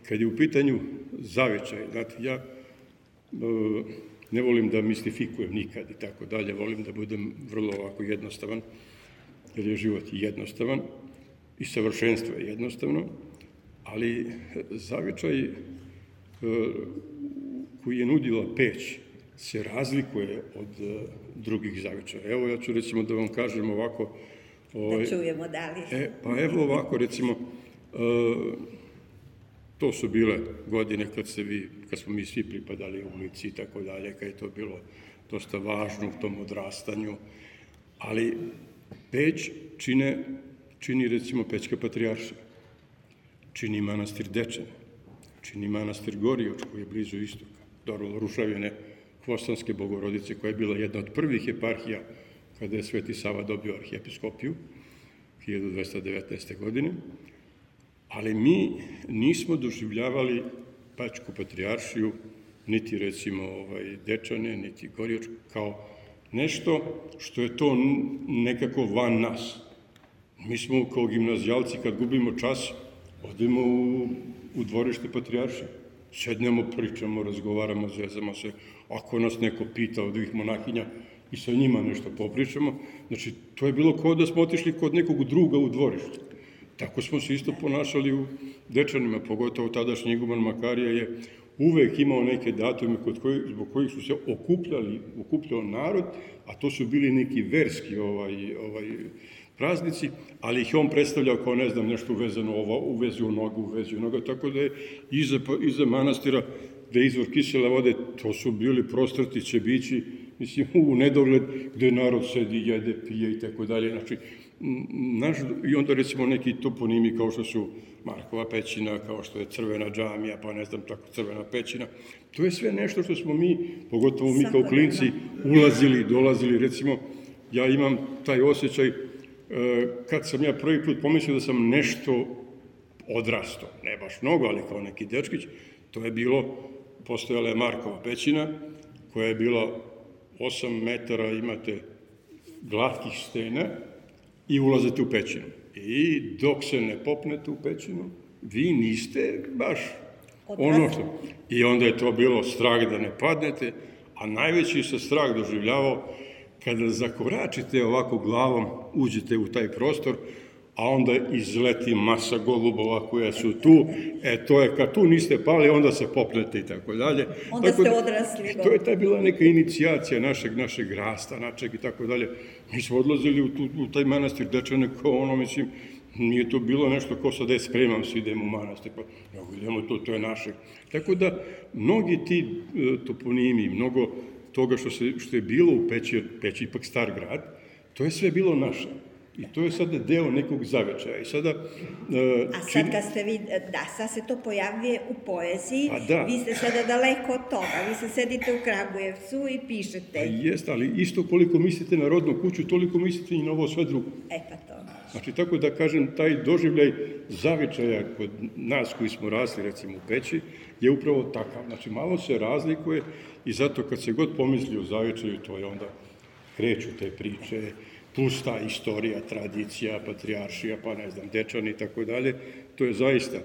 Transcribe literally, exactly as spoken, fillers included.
kad je u pitanju zavičaj, znate, ja ne volim da mistifikujem nikad i tako dalje, volim da budem vrlo ovako jednostavan, jer je život jednostavan i savršenstvo je jednostavno, ali zavičaj koji je nudila peć se razlikuje od drugih zavičaja. Evo, ja ću recimo da vam kažem ovako... Da čujemo da li. E, pa evo ovako, recimo, to su bile godine kad, se vi, kad smo mi svi pripadali ulici i tako dalje, kad je to bilo dosta važno u tom odrastanju, ali Peć čine, čini recimo Pećka patrijaršija, čini manastir Dečane, čini manastir Gorijoč koji je blizu istoka, dobro, rušavine Hvostanske Bogorodice koja je bila jedna od prvih eparhija kada je Sveti Sava dobio arhijepiskopiju hiljadu dvesta devetnaeste. godine, ali mi nismo doživljavali Pećku patrijaršiju, niti recimo ovaj, Dečane, niti Gorijoč, kao nešto što je to nekako van nas. Mi smo kao gimnazijalci, kad gubimo čas, odemo u, u dvorište patrijaršije. Sednemo, pričamo, razgovaramo, zezamo se. Ako nas neko pita od ovih monahinja i sa njima nešto popričamo, znači, to je bilo kao da smo otišli kod nekog druga u dvorište. Tako smo se isto ponašali u Dečanima, pogotovo tadašnji iguman Makarija je uvek imao neke datume kod koji, zbog kojih su se okupljali, okupljao narod, a to su bili neki verski ovaj, ovaj, praznici, ali ih on predstavljao kao, ne znam, nešto uvezano ovo, uvezi u nogu, uvezi u noga, tako da je iza, iza manastira, gde je izvor kisele vode, to su bili prostrti ćebići, mislim, u nedogled, gde narod sedi, jede, pije i tako dalje, znači, naš, i onda recimo neki toponimi kao što su Markova pećina, kao što je Crvena džamija, pa ne znam, tako Crvena pećina. To je sve nešto što smo mi, pogotovo mi kao klinci, ulazili, dolazili. Recimo, ja imam taj osjećaj, kad sam ja prvi put pomislio da sam nešto odrastao, ne baš mnogo, ali kao neki dečkić, to je bilo, postojala je Markova pećina, koja je bila osam metara, imate glatkih stena, i ulazite u pećinu. I dok se ne popnete u pećinu, vi niste baš ono što... I onda je to bilo strah da ne padnete, a najveći se strah doživljavao kada zakoračite ovako glavom, uđete u taj prostor, a onda izleti masa golubova koja su tu, e to je kad tu niste pali, onda se popnete i tako dalje. Onda ste odrasli. To je ta bila neka inicijacija našeg, našeg rasta, našeg i tako dalje. Mi smo odlazili u, tu, u taj manastir Dečane kao ono, mislim, nije to bilo nešto ko sad je spremam se idemo u manastir, pa nego idemo to, to je naše. Tako da, mnogi ti e, toponimi, mnogo toga što, se, što je bilo u Peći, Peći ipak star grad, to je sve bilo naše. I to je sada deo nekog zavičaja. I sada, uh, A sad kad ste vi, da, sad se to pojavljuje u poeziji, da. Vi ste sada daleko od toga, vi se sedite u Kragujevcu i pišete. Pa jest, ali isto koliko mislite na rodnu kuću, toliko mislite i na ovo sve drugo. E pa to. Znači, tako da kažem, taj doživljaj zavičaja kod nas koji smo rasli, recimo u Peći, je upravo takav. Znači, malo se razlikuje i zato kad se god pomisli o zavičaju, to je onda kreću te priče, plus ta istorija, tradicija, patrijaršija, pa ne znam, Dečani i tako dalje, to je zaista